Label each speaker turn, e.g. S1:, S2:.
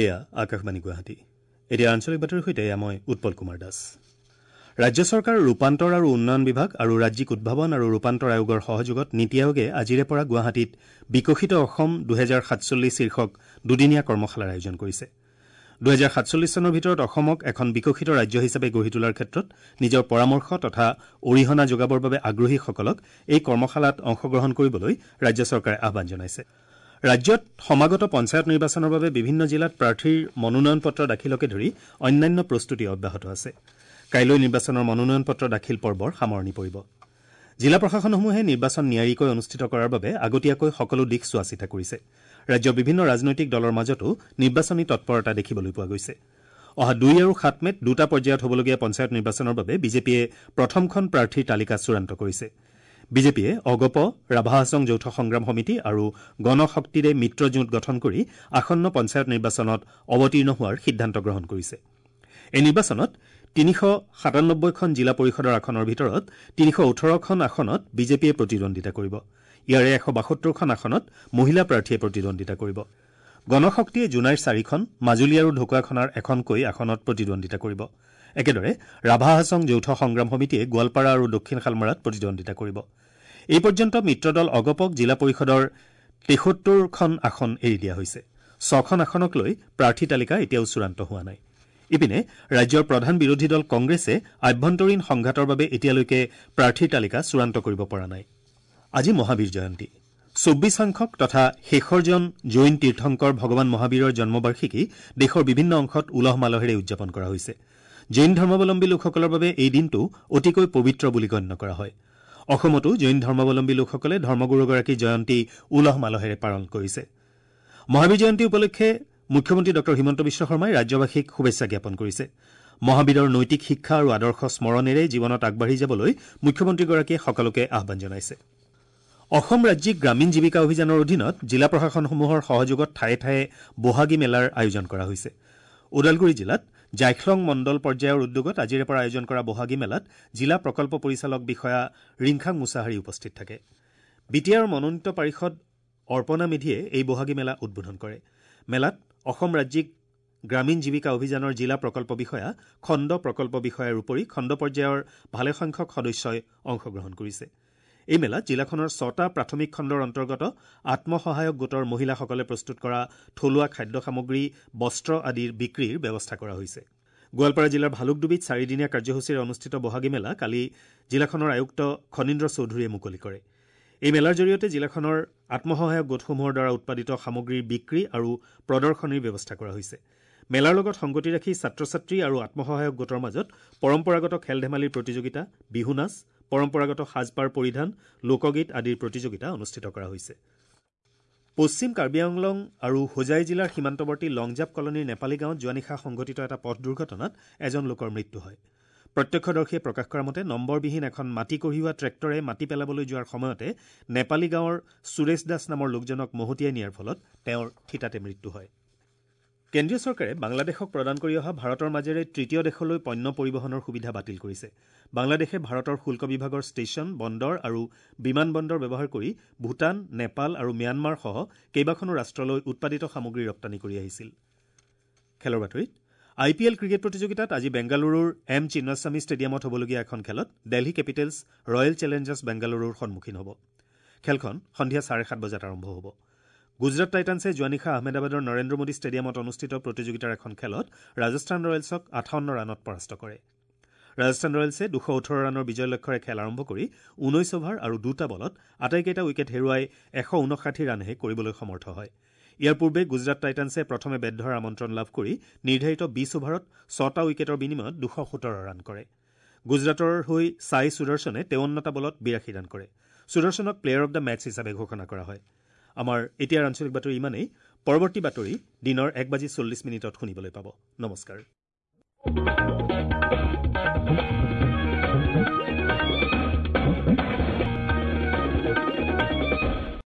S1: এয়া আকাশবাণী গুৱাহাটী। এতিয়া আঞ্চলিক বাতৰিৰ সৈতে মই উৎপল কুমাৰ দাস। ৰাজ্য চৰকাৰৰ ৰূপান্তৰ আৰু উন্নয়ন বিভাগ আৰু ৰাজ্যিক উদ্ভাৱন আৰু ৰূপান্তৰ আয়োগৰ সহযোগত নীতি আয়োগে আজিৰে পৰা গুৱাহাটীত বিকশিত অসম 2047 শীৰ্ষক দুদিনীয়া কৰ্মশালাৰ আয়োজন কৰিছে। 2047 চনৰ ভিতৰত অসমক এখন বিকশিত ৰাজ্য হিচাপে গঢ়ি তোলাৰ ক্ষেত্ৰত নিজৰ পৰামৰ্শ তথা অৰিহণা যোগাবৰ বাবে আগ্ৰহীসকলক এই কৰ্মশালাত অংশগ্ৰহণ কৰিবলৈ ৰাজ্য চৰকাৰে আহ্বান জনাইছে। ৰাজ্যত সমাগত পঞ্চায়ত নিৰ্বাচনৰ বাবে বিভিন্ন জিলাত প্ৰাৰ্থীৰ মনোনয়ন পত্ৰ দাখিলকে ধৰি অন্যান্য প্ৰস্তুতি অব্যাহত আছে। কাইলৈ নিৰ্বাচনৰ মনোনয়ন পত্ৰ দাখিল পৰ্বৰ সামৰণি পৰিব। জিলা প্ৰশাসনসমূহে নিৰ্বাচন নিয়াৰিকৈ অনুষ্ঠিত কৰাৰ বাবে আগতীয়াকৈ সকলো দিশ চোৱাচিতা কৰিছে। ৰাজ্যৰ বিভিন্ন ৰাজনৈতিক দলৰ মাজতো নিৰ্বাচনী তৎপৰতা দেখিবলৈ পোৱা গৈছে। অহা 2 আৰু 7 মেত দুটা পৰ্যায়ত হ'বলগীয়া পঞ্চায়ত নিৰ্বাচনৰ বাবে বিজেপিয়ে প্ৰথমখন প্ৰাৰ্থীৰ তালিকা চূড়ান্ত কৰিছে। বিজেপিয়ে অগপ, ৰাভা হাছং যৌথ সংগ্ৰাম সমিতি আৰু গণশক্তিৰে মিত্ৰজোঁট গঠন কৰি আসন্ন পঞ্চায়ত নিৰ্বাচনত অৱতীৰ্ণ হোৱাৰ সিদ্ধান্ত গ্ৰহণ কৰিছে। এই নিৰ্বাচনত 397খন জিলা পৰিষদৰ আসনৰ ভিতৰত 318খন আসনত বিজেপিয়ে প্ৰতিদ্বন্দ্বিতা কৰিব। ইয়াৰে 172খন আসনত মহিলা প্ৰাৰ্থীয়ে প্ৰতিদ্বন্দ্বিতা কৰিব। গণশক্তিয়ে জোনাইৰ 4খন, মাজুলী আৰু ঢকুৱাখনাৰ এখনকৈ আসনত প্ৰতিদ্বন্দ্বিতা কৰিব। একেদৰে ৰাভা হাছং যৌথ সংগ্ৰাম সমিতিয়ে গোৱালপাৰা আৰু দক্ষিণ শালমাৰাত প্ৰতিদ্বন্দ্বিতা কৰিব। এই পৰ্যন্ত মিত্ৰদল অগপক জিলা পৰিষদৰ 73খন আসন এৰি দিয়া হৈছে। 6খন আসনক লৈ প্ৰাৰ্থী তালিকা এতিয়াও চূড়ান্ত হোৱা নাই। ইপিনে ৰাজ্যৰ প্ৰধান বিৰোধী দল কংগ্ৰেছে আভ্যন্তৰীণ সংঘাতৰ বাবে এতিয়ালৈকে প্ৰাৰ্থীৰ তালিকা চূড়ান্ত কৰিব পৰা নাই। আজি মহাবীৰ জয়ন্তী। 24 সংখ্যক তথা শেষৰজন জৈন তীৰ্থংকৰ ভগৱান মহাবীৰৰ জন্মবাৰ্ষিকী দেশৰ বিভিন্ন অংশত উলহ মালহেৰে উদযাপন কৰা হৈছে। জৈন ধৰ্মাৱলম্বী লোকসকলৰ বাবে এই দিনটো অতিকৈ পবিত্ৰ বুলি গণ্য কৰা হয়। অসমতো জৈন ধৰ্মাৱলম্বী লোকসকলে ধৰ্মগুৰুগৰাকীৰ জয়ন্তী উলহ মালহেৰে পালন কৰিছে। মহাবীৰ জয়ন্তী উপলক্ষে মুখ্যমন্ত্ৰী ডঃ হিমন্ত বিশ্ব শৰ্মাই ৰাজ্যবাসীক শুভেচ্ছা জ্ঞাপন কৰিছে। মহাবীৰৰ নৈতিক শিক্ষা আৰু আদৰ্শ স্মৰণেৰে জীৱনত আগবাঢ়ি যাবলৈ মুখ্যমন্ত্ৰীগৰাকীয়ে সকলোকে আহ্বান জনাইছে। অসম ৰাজ্যিক গ্ৰামীণ জীৱিকা অভিযানৰ অধীনত জিলা প্ৰশাসনসমূহৰ সহযোগত ঠায়ে ঠায়ে বহাগী মেলাৰ আয়োজন কৰা হৈছে। ওদালগুৰি জিলাত জাইখলং মণ্ডল পৰ্যায়ৰ উদ্যোগত আজিৰে পৰা আয়োজন কৰা বহাগী মেলাত জিলা প্ৰকল্প পৰিচালক বিষয়া ৰিংখাং মুছাহাৰী উপস্থিত থাকে। বি টি আৰৰ মনোনীত পাৰিষদ অৰ্পণা মেধিয়ে এই বহাগী মেলা উদ্বোধন কৰে। মেলাত অসম ৰাজ্যিক গ্ৰামীণ জীৱিকা অভিযানৰ জিলা প্ৰকল্প বিষয়া, খণ্ড প্ৰকল্প বিষয়াৰ উপৰি খণ্ড পৰ্যায়ৰ ভালেসংখ্যক সদস্যই অংশগ্ৰহণ কৰিছে। এই মেলাত জিলাখনৰ 6টা প্ৰাথমিক খণ্ডৰ অন্তৰ্গত আত্মসহায়ক গোটৰ মহিলাসকলে প্ৰস্তুত কৰা থলুৱা খাদ্য সামগ্ৰী, বস্ত্ৰ আদিৰ বিক্ৰীৰ ব্যৱস্থা কৰা হৈছে। গোৱালপাৰা জিলাৰ ভালুকডুবিত চাৰিদিনীয়া কাৰ্যসূচীৰে অনুষ্ঠিত বহাগী মেলা কালি জিলাখনৰ আয়ুক্ত খনীন্দ্ৰ চৌধুৰীয়ে মুকলি কৰে। এই মেলাৰ জৰিয়তে জিলাখনৰ আত্মসহায়ক গোটসমূহৰ দ্বাৰা উৎপাদিত সামগ্ৰীৰ বিক্ৰী আৰু প্ৰদৰ্শনীৰ ব্যৱস্থা কৰা হৈছে। মেলাৰ লগত সংগতি ৰাখি ছাত্ৰ ছাত্ৰী আৰু আত্মসহায়ক গোটৰ মাজত পৰম্পৰাগত খেল ধেমালিৰ প্ৰতিযোগিতা, বিহু নাচ, পৰম্পৰাগত সাজপাৰ পৰিধান, লোকগীত আদিৰ প্ৰতিযোগিতা অনুষ্ঠিত কৰা হৈছে। পশ্চিম কাৰ্বি আংলং আৰু হোজাই জিলাৰ সীমান্তৱৰ্তী লংজাপ কলনীৰ নেপালী গাঁৱত যোৱা নিশা সংঘটিত এটা পথ দুৰ্ঘটনাত এজন লোকৰ মৃত্যু হয়। প্ৰত্যক্ষদৰ্শীয়ে প্ৰকাশ কৰা মতে নম্বৰবিহীন এখন মাটি কঢ়িওৱা ট্ৰেক্টৰে মাটি পেলাবলৈ যোৱাৰ সময়তে নেপালী গাঁৱৰ সুৰেশ দাস নামৰ লোকজনক মহতিয়াই নিয়াৰ ফলত তেওঁৰ থিতাতে মৃত্যু হয়। কেন্দ্ৰীয় চৰকাৰে বাংলাদেশক প্ৰদান কৰি অহা ভাৰতৰ মাজেৰে তৃতীয় দেশলৈ পণ্য পৰিবহণৰ সুবিধা বাতিল কৰিছে। বাংলাদেশে ভাৰতৰ শুল্ক বিভাগৰ ষ্টেচন, বন্দৰ আৰু বিমান বন্দৰ ব্যৱহাৰ কৰি ভূটান, নেপাল আৰু ম্যানমাৰসহ কেইবাখনো ৰাষ্ট্ৰলৈ উৎপাদিত সামগ্ৰী ৰপ্তানি কৰি আহিছিল। খেলৰ বাতৰিত আই পি এল ক্ৰিকেট প্ৰতিযোগিতাত আজি বেংগালুৰুৰ এম চিন্নাস্বামী ষ্টেডিয়ামত হ'বলগীয়া এখন খেলত দেলহি কেপিটেলছ ৰয়েল চেলেঞ্জাৰ্ছ বেংগালুৰুৰ সন্মুখীন হ'ব। খেলখন সন্ধিয়া 7:30 বজাত আৰম্ভ হ'ব। গুজৰাট টাইটানছে যোৱা নিশা আহমেদাবাদৰ নৰেন্দ্ৰ মোদী ষ্টেডিয়ামত অনুষ্ঠিত প্ৰতিযোগিতাৰ এখন খেলত ৰাজস্থান ৰয়েলছক 58 ৰানত পৰাস্ত কৰে। ৰাজস্থান ৰয়েলছে 218 ৰানৰ বিজয় লক্ষ্যৰে খেল আৰম্ভ কৰি 19 অভাৰ আৰু 2টা বলত আটাইকেইটা উইকেট হেৰুৱাই 159 ৰানহে কৰিবলৈ সমৰ্থ হয়। ইয়াৰ পূৰ্বে গুজৰাট টাইটানছে প্ৰথমে বেট ধৰাৰ আমন্ত্ৰণ লাভ কৰি নিৰ্ধাৰিত 20 অভাৰত 6টা উইকেটৰ বিনিময়ত 217 ৰান কৰে। গুজৰাটৰ হৈ ছাই সুদৰ্শনে 53টা বলত 82 ৰান কৰে। সুদৰ্শনক প্লেয়াৰ অব the match হিচাপে ঘোষণা কৰা হয়। আমাৰ এতিয়াৰ আঞ্চলিক বাতৰি ইমানেই। পৰৱৰ্তী বাতৰি দিনৰ 1:40 শুনিবলৈ পাব। নমস্কাৰ।